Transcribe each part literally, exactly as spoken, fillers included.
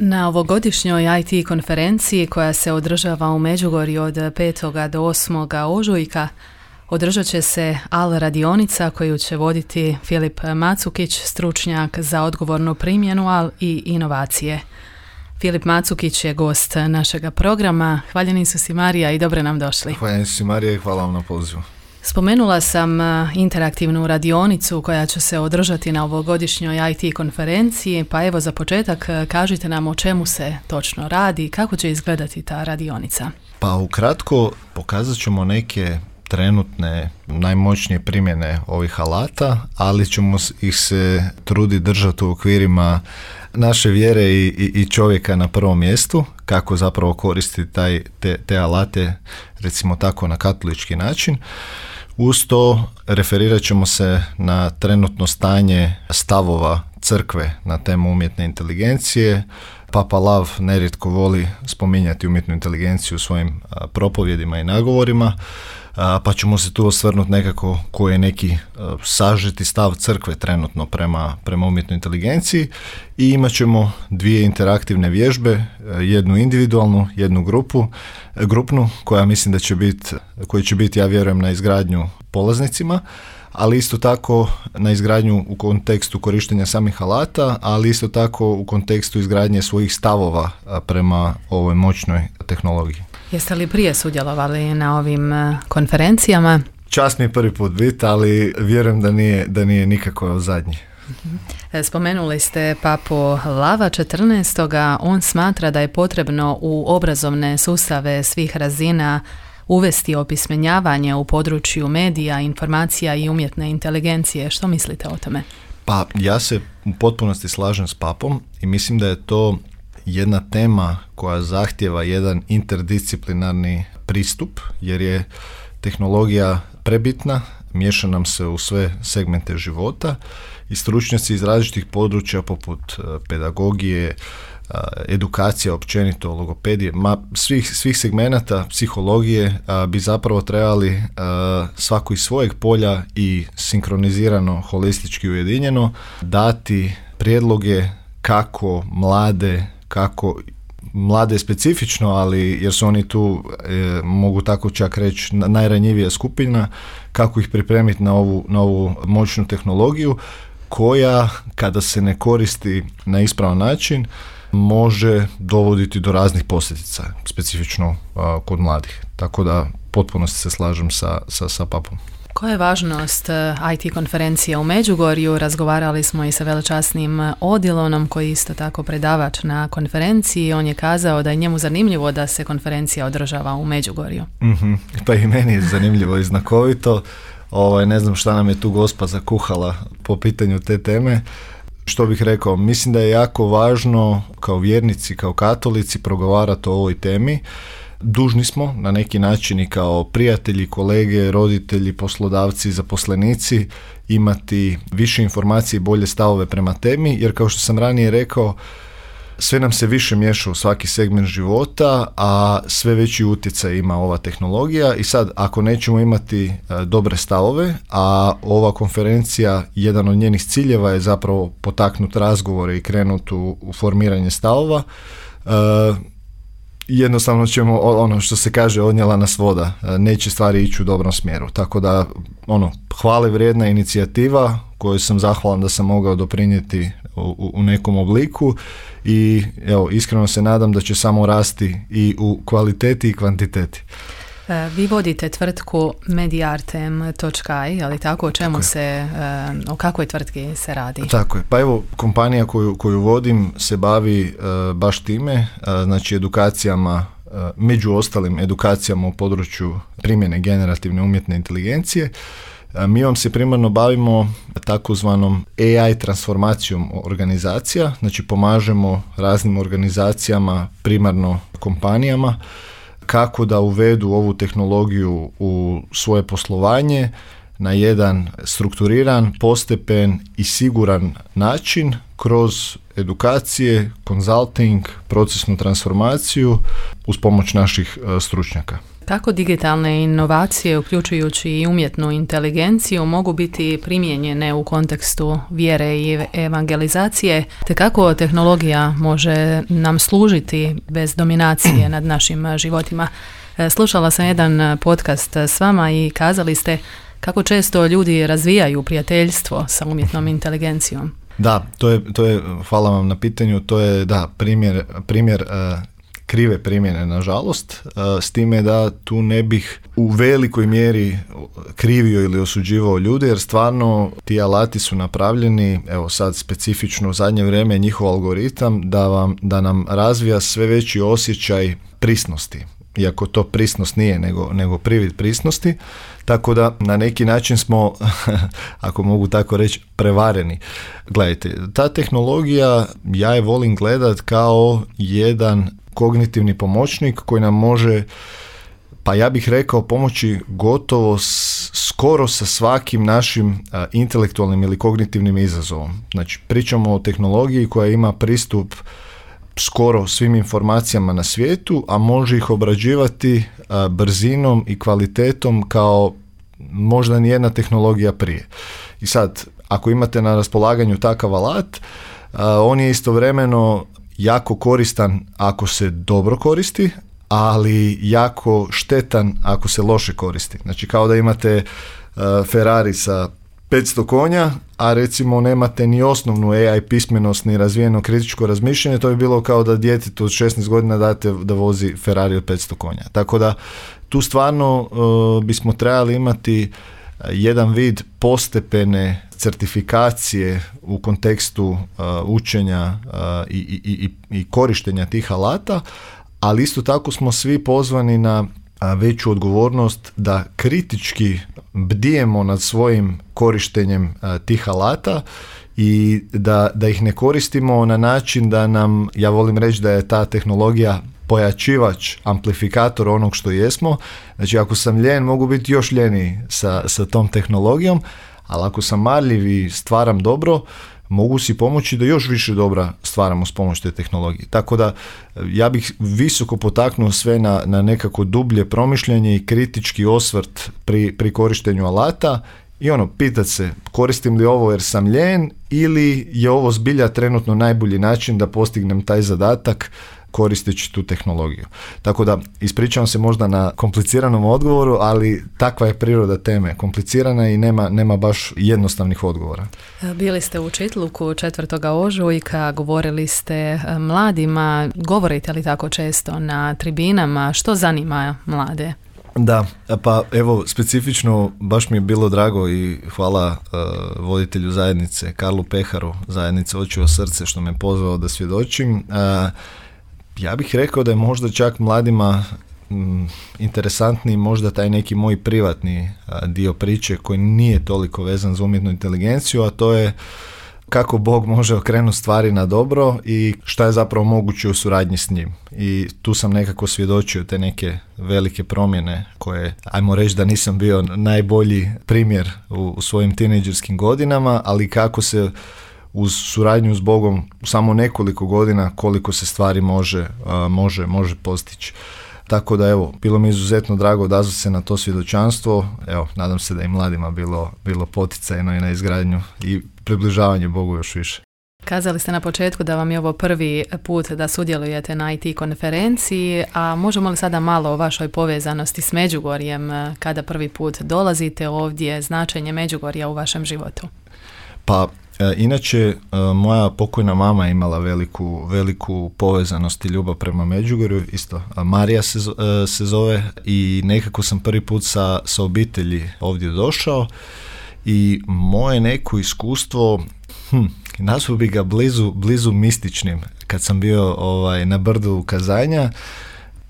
Na ovogodišnjoj I T konferenciji koja se održava u Međugorju od petog do osmog ožujka održat će se A L radionica koju će voditi Filip Macukić, stručnjak za odgovornu primjenu A L i inovacije. Filip Macukić je gost našega programa. Hvaljeni su si Marija i dobro nam došli. Hvaljeni su si Marija i hvala vam na pozivu. Spomenula sam interaktivnu radionicu koja će se održati na ovogodišnjoj I T konferenciji, pa evo za početak kažite nam o čemu se točno radi, kako će izgledati ta radionica. Pa ukratko pokazat ćemo neke trenutne najmoćnije primjene ovih alata, ali ćemo ih se truditi držati u okvirima naše vjere i, i, i čovjeka na prvom mjestu, kako zapravo koristiti taj, te, te alate, recimo tako na katolički način. Uz to referirat ćemo se na trenutno stanje stavova crkve na temu umjetne inteligencije. Papa Lav nerijetko voli spominjati umjetnu inteligenciju u svojim a, propovjedima i nagovorima, a, pa ćemo se tu osvrnuti nekako koji je neki a, sažeti stav crkve trenutno prema, prema umjetnoj inteligenciji i imat ćemo dvije interaktivne vježbe, jednu individualnu, jednu grupu, grupnu koja mislim da će biti, koji će biti, ja vjerujem, na izgradnju polaznicima, ali isto tako na izgradnju u kontekstu korištenja samih alata, ali isto tako u kontekstu izgradnje svojih stavova prema ovoj moćnoj tehnologiji. Jeste li prije sudjelovali na ovim konferencijama? Čast mi je prvi put biti, ali vjerujem da nije, da nije nikako zadnji. Spomenuli ste papu Lava četrnaestog. On smatra da je potrebno u obrazovne sustave svih razina uvesti opismenjavanje u području medija, informacija i umjetne inteligencije. Što mislite o tome? Pa ja se u potpunosti slažem s papom i mislim da je to jedna tema koja zahtjeva jedan interdisciplinarni pristup, jer je tehnologija prebitna, miješa nam se u sve segmente života i stručnjaci iz različitih područja poput pedagogije, edukacija općenito, logopedije, ma svih, svih segmenata psihologije a, bi zapravo trebali a, svako iz svojeg polja i sinkronizirano, holistički ujedinjeno dati prijedloge kako mlade, kako mlade specifično, ali jer su oni tu, e, mogu tako čak reći, najranjivija skupina, kako ih pripremiti na ovu, na ovu moćnu tehnologiju koja, kada se ne koristi na ispravan način, može dovoditi do raznih posljedica, specifično a, kod mladih. Tako da potpuno se slažem sa, sa, sa papom. Koja je važnost I T konferencije u Međugorju? Razgovarali smo i sa velečasnim Odilonom koji je isto tako predavač na konferenciji. On je kazao da je njemu zanimljivo da se konferencija održava u Međugorju. Mm-hmm. Pa i meni je zanimljivo i znakovito. Ovaj, ne znam šta nam je tu gospa zakuhala po pitanju te teme. Što bih rekao, mislim da je jako važno kao vjernici, kao katolici progovarati o ovoj temi. Dužni smo na neki način i kao prijatelji, kolege, roditelji, poslodavci, zaposlenici imati više informacije i bolje stavove prema temi, jer kao što sam ranije rekao, sve nam se više miješa u svaki segment života, a sve veći utjecaj ima ova tehnologija i sad ako nećemo imati e, dobre stavove, a ova konferencija, jedan od njenih ciljeva je zapravo potaknuti razgovore i krenuti u, u formiranje stavova, e, jednostavno ćemo, ono što se kaže, odnijela nas voda, neće stvari ići u dobrom smjeru. Tako da, ono, hvale vrijedna inicijativa koju sam zahvalan da sam mogao doprinijeti u, u nekom obliku i evo, iskreno se nadam da će samo rasti i u kvaliteti i kvantiteti. Vi vodite tvrtku Mediartem točka i, ali tako, o čemu se, o kakvoj tvrtki se radi? Tako je, pa evo, kompanija koju, koju vodim se bavi uh, baš time, uh, znači edukacijama, uh, među ostalim edukacijama u području primjene generativne umjetne inteligencije. Uh, mi vam se primarno bavimo takozvanom A I transformacijom organizacija, znači pomažemo raznim organizacijama, primarno kompanijama, kako da uvedu ovu tehnologiju u svoje poslovanje na jedan strukturiran, postepen i siguran način kroz edukacije, konzulting, procesnu transformaciju uz pomoć naših uh, stručnjaka. Kako digitalne inovacije, uključujući i umjetnu inteligenciju, mogu biti primijenjene u kontekstu vjere i evangelizacije, te kako tehnologija može nam služiti bez dominacije nad našim životima? Slušala sam jedan podcast s vama i kazali ste kako često ljudi razvijaju prijateljstvo sa umjetnom inteligencijom. Da, to je, to je, hvala vam na pitanju, to je da, primjer, primjer uh, krive primjene, nažalost, uh, s time da tu ne bih u velikoj mjeri krivio ili osuđivao ljude, jer stvarno ti alati su napravljeni, evo sad specifično u zadnje vrijeme njihov algoritam da, vam, da nam razvija sve veći osjećaj prisnosti. Iako to prisnost nije, nego, nego privid prisnosti, tako da na neki način smo, ako mogu tako reći, prevareni. Gledajte, ta tehnologija, ja je volim gledat kao jedan kognitivni pomoćnik koji nam može, pa ja bih rekao, pomoći gotovo s, skoro sa svakim našim a, intelektualnim ili kognitivnim izazovom. Znači, pričamo o tehnologiji koja ima pristup skoro svim informacijama na svijetu, a može ih obrađivati a, brzinom i kvalitetom kao možda nijedna tehnologija prije. I sad, ako imate na raspolaganju takav alat, a, on je istovremeno jako koristan ako se dobro koristi, ali jako štetan ako se loše koristi. Znači, kao da imate a, Ferrari sa petsto konja, a recimo nemate ni osnovnu A I pismenost ni razvijeno kritičko razmišljanje, to bi bilo kao da djetetu od šesnaest godina date da vozi Ferrari od petsto konja. Tako da tu stvarno uh, bismo trebali imati jedan vid postepene certifikacije u kontekstu uh, učenja uh, i, i, i, i korištenja tih alata, ali isto tako smo svi pozvani na veću odgovornost da kritički bdijemo nad svojim korištenjem a, tih alata i da, da ih ne koristimo na način da nam, ja volim reći da je ta tehnologija pojačivač, amplifikator onog što jesmo. Znači, ako sam ljen, mogu biti još ljeniji sa, sa tom tehnologijom, ali ako sam marljiv i stvaram dobro, mogu si pomoći da još više dobra stvaramo s pomoć te tehnologije. Tako da ja bih visoko potaknuo sve na, na nekako dublje promišljanje i kritički osvrt pri, pri korištenju alata i ono, pitat se koristim li ovo jer sam ljen ili je ovo zbilja trenutno najbolji način da postignem taj zadatak koristeći tu tehnologiju. Tako da ispričavam se možda na kompliciranom odgovoru, ali takva je priroda teme, komplicirana i nema, nema baš jednostavnih odgovora. Bili ste u Čitluku četvrtoga ožujka, govorili ste mladima, govorite li tako često na tribinama, što zanima mlade? Da, pa evo specifično baš mi je bilo drago i hvala uh, voditelju zajednice Karlu Peharu, zajednice Oči o srce, što me pozvao da svjedočim. Uh, Ja bih rekao da je možda čak mladima m, interesantniji možda taj neki moj privatni a, dio priče koji nije toliko vezan za umjetnu inteligenciju, a to je kako Bog može okrenuti stvari na dobro i šta je zapravo moguće u suradnji s njim. I tu sam nekako svjedočio te neke velike promjene koje, ajmo reći da nisam bio najbolji primjer u, u svojim tinejdžerskim godinama, ali kako se uz suradnju s Bogom u samo nekoliko godina koliko se stvari može, a, može, može postići. Tako da evo, bilo mi izuzetno drago odazvati se na to svjedočanstvo. Evo, nadam se da i mladima bilo, bilo poticajno i na izgradnju i približavanje Bogu još više. Kazali ste na početku da vam je ovo prvi put da sudjelujete na I T konferenciji, a možemo li sada malo o vašoj povezanosti s Međugorjem, kada prvi put dolazite ovdje, značenje Međugorja u vašem životu? Pa, e, inače, e, moja pokojna mama je imala veliku, veliku povezanost i ljubav prema Međugorju, isto Marija se, e, se zove, i nekako sam prvi put sa, sa obitelji ovdje došao i moje neko iskustvo, hm, nazvao bi ga blizu, blizu mističnim. Kad sam bio ovaj, na brdu Kazanja,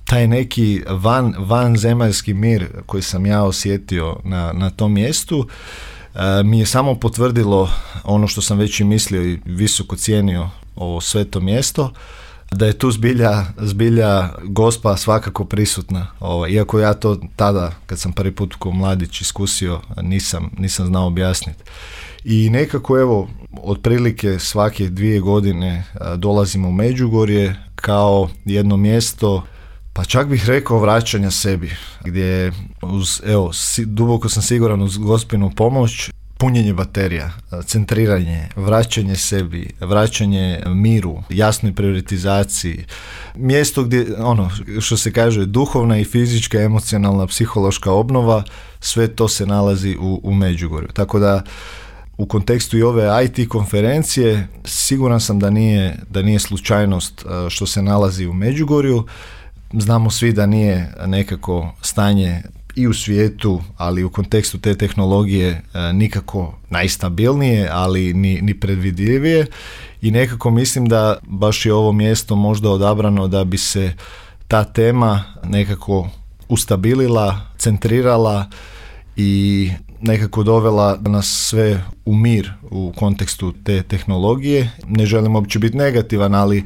taj neki van, vanzemaljski mir koji sam ja osjetio na, na tom mjestu, e, mi je samo potvrdilo ono što sam već i mislio i visoko cijenio ovo sveto mjesto, da je tu zbilja, zbilja Gospa svakako prisutna. Ovaj, iako ja to tada, kad sam prvi put kao mladić iskusio, nisam, nisam znao objasniti. I nekako evo, otprilike svake dvije godine a, dolazimo u Međugorje kao jedno mjesto Pa čak bih rekao vraćanja sebi, gdje uz, evo, si, duboko sam siguran uz Gospinu pomoć, punjenje baterija, centriranje, vraćanje sebi, vraćanje miru, jasnoj prioritizaciji, mjesto gdje, ono, što se kaže, duhovna i fizička, emocionalna, psihološka obnova, sve to se nalazi u, u Međugorju. Tako da, u kontekstu i ove I T konferencije, siguran sam da nije, da nije slučajnost što se nalazi u Međugorju. Znamo svi da nije nekako stanje i u svijetu, ali u kontekstu te tehnologije nikako najstabilnije, ali ni, ni predvidljivije, i nekako mislim da baš je ovo mjesto možda odabrano da bi se ta tema nekako ustabilila, centrirala i nekako dovela nas sve u mir u kontekstu te tehnologije. Ne želim uopće biti negativan, ali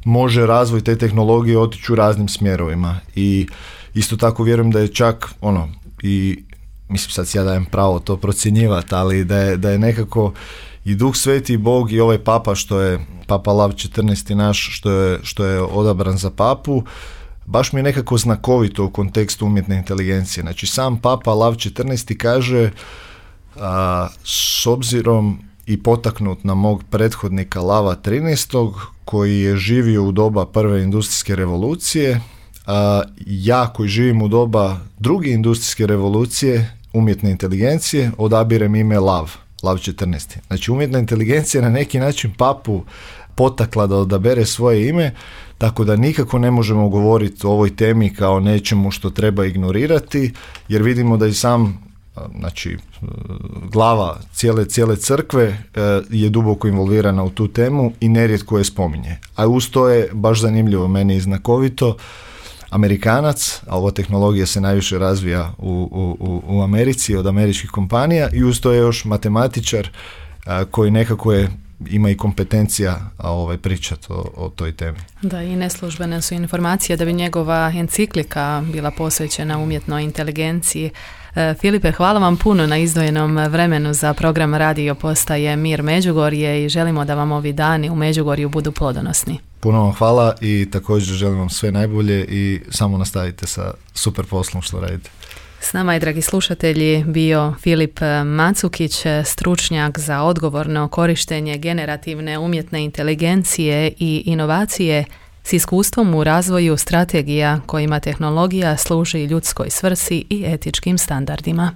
može razvoj te tehnologije otići u raznim smjerovima, i isto tako vjerujem da je čak ono, i mislim sad si ja dajem pravo to procjenjivati, ali da je, da je nekako i Duh Sveti i Bog i ovaj papa, što je Papa Lav četrnaesti naš, što je, što je odabran za papu, baš mi je nekako znakovito u kontekstu umjetne inteligencije. Znači sam Papa Lav četrnaesti kaže, a, s obzirom i potaknut na mog prethodnika Lava trinaestog koji je živio u doba prve industrijske revolucije, a ja koji živim u doba druge industrijske revolucije, umjetne inteligencije, odabirem ime Lav, Lav četrnaesti. Znači umjetna inteligencija na neki način papu potakla da odabere svoje ime, tako da nikako ne možemo govoriti o ovoj temi kao nečemu što treba ignorirati, jer vidimo da i sam, znači glava cijele, cijele crkve je duboko involvirana u tu temu i nerijetko je spominje. A uz to je baš zanimljivo, meni i znakovito, Amerikanac, a ova tehnologija se najviše razvija u, u, u Americi od američkih kompanija, i uz to je još matematičar a, koji nekako je ima i kompetencija a, ovaj, pričati o, o toj temi. Da, i neslužbene su informacije da bi njegova enciklika bila posvećena umjetnoj inteligenciji. E, Filipe, hvala vam puno na izdvojenom vremenu za program Radio Postaje Mir Međugorje i želimo da vam ovi dani u Međugorju budu plodonosni. Puno vam hvala i također želim vam sve najbolje i samo nastavite sa super poslom što radite. S nama je, dragi slušatelji, bio Filip Macukić, stručnjak za odgovorno korištenje generativne umjetne inteligencije i inovacije s iskustvom u razvoju strategija kojima tehnologija služi ljudskoj svrsi i etičkim standardima.